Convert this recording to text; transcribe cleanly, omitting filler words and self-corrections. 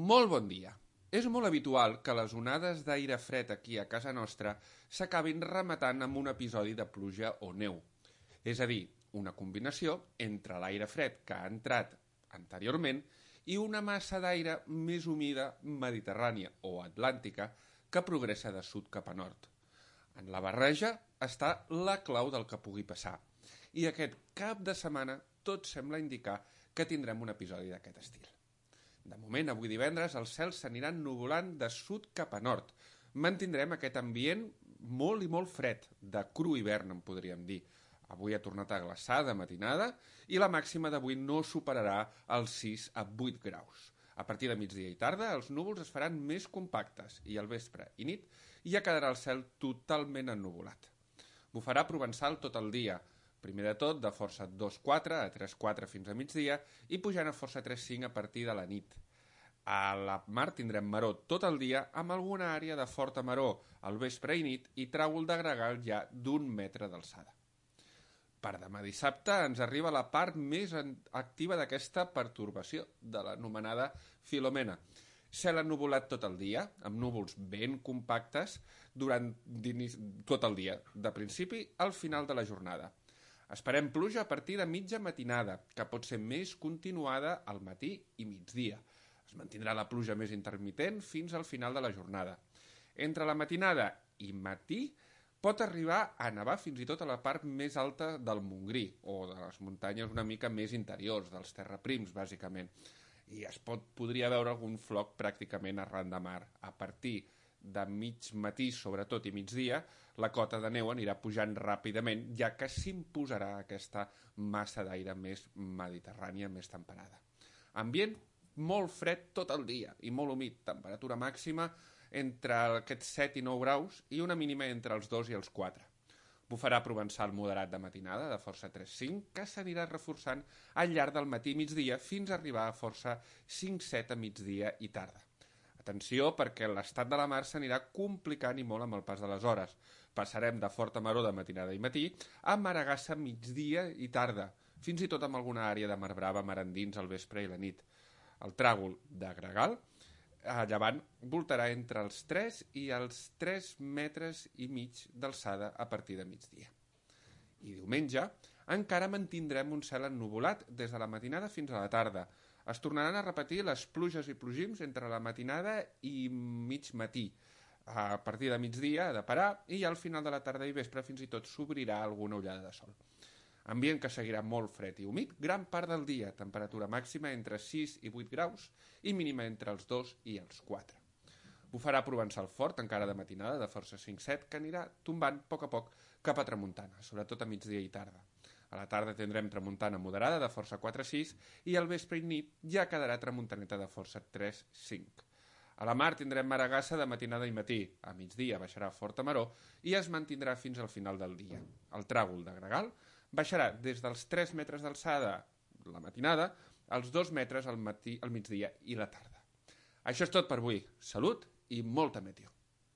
Molt bon dia. És molt habitual que les onades d'aire fred aquí a casa nostra s'acabin rematant amb un episodi de pluja o neu. És a dir, una combinació entre l'aire fred que ha entrat anteriorment i una massa d'aire més humida mediterrània o atlàntica que progressa de sud cap a nord. En la barreja està la clau del que pugui passar. I aquest cap de setmana tot sembla indicar que tindrem un episodi d'aquest estil. De moment, avui divendres, els cels s'aniran nuvolant de sud cap a nord. Mantindrem aquest ambient molt i molt fred, de cru hivern, en podríem dir. Avui ha tornat a glaçar de matinada i la màxima d'avui no superarà els 6 a 8 graus. A partir de migdia i tarda, els núvols es faran més compactes i al vespre i nit ja quedarà el cel totalment ennuvolat. Bufarà provençal tot el dia, primer de tot de força 2-4 a 3-4 fins a migdia i pujant a força 3-5 a partir de la nit. A la mar tindrem maró tot el dia amb alguna àrea de forta maró al vespre i nit i tràgol de gregal ja d'1 metre d'alçada. Per demà dissabte ens arriba la part més activa d'aquesta pertorbació, de l'anomenada Filomena. Cel ennuvolat tot el dia, amb núvols ben compactes durant tot el dia, de principi al final de la jornada. Esperem pluja a partir de mitja matinada, que pot ser més continuada al matí i migdia. Es mantindrà la pluja més intermitent fins al final de la jornada. Entre la matinada i matí pot arribar a nevar fins i tot a la part més alta del Montgrí, o de les muntanyes una mica més interiors, dels terraprims, bàsicament. I podria veure algun floc pràcticament arran de mar. A partir de mig matí, sobretot, i migdia, la cota de neu anirà pujant ràpidament, ja que s'imposarà aquesta massa d'aire més mediterrània, més temperada. Ambient molt fred tot el dia i molt humit, temperatura màxima entre aquests 7 i 9 graus i una mínima entre els 2 i els 4. Bufarà provençal moderat de matinada, de força 3-5, que s'anirà reforçant al llarg del matí i migdia fins a arribar a força 5-7 a migdia i tarda. Atenció, perquè l'estat de la mar s'anirà complicant i molt amb el pas de les hores. Passarem de forta maró de matinada i matí a maragassa migdia i tarda, fins i tot amb alguna àrea de mar brava mar endins al vespre i la nit. El tràgol de gregal a llevant voltarà entre els 3 i els 3 metres i mig d'alçada a partir de migdia. I diumenge encara mantindrem un cel ennuvolat des de la matinada fins a la tarda. Es tornaran a repetir les pluges i plogims entre la matinada i mig matí. A partir de migdia ha de parar i al final de la tarda i vespre fins i tot s'obrirà alguna ullada de sol. Ambient que seguirà molt fred i humit gran part del dia, temperatura màxima entre 6 i 8 graus i mínima entre els 2 i els 4. Bufarà provençal fort, encara de matinada, de força 5-7, que anirà tombant a poc cap a tramuntana, sobretot a migdia i tarda. A la tarda tindrem tramuntana moderada de força 4-6 i al vespre i nit ja quedarà tramuntaneta de força 3-5. A la mar tindrem maragassa de matinada i matí, a migdia baixarà forta maró i es mantindrà fins al final del dia. El tràgol de gregal baixarà des dels 3 metres d'alçada la matinada als 2 metres al migdia i la tarda. Això és tot per avui. Salut i molta meteo.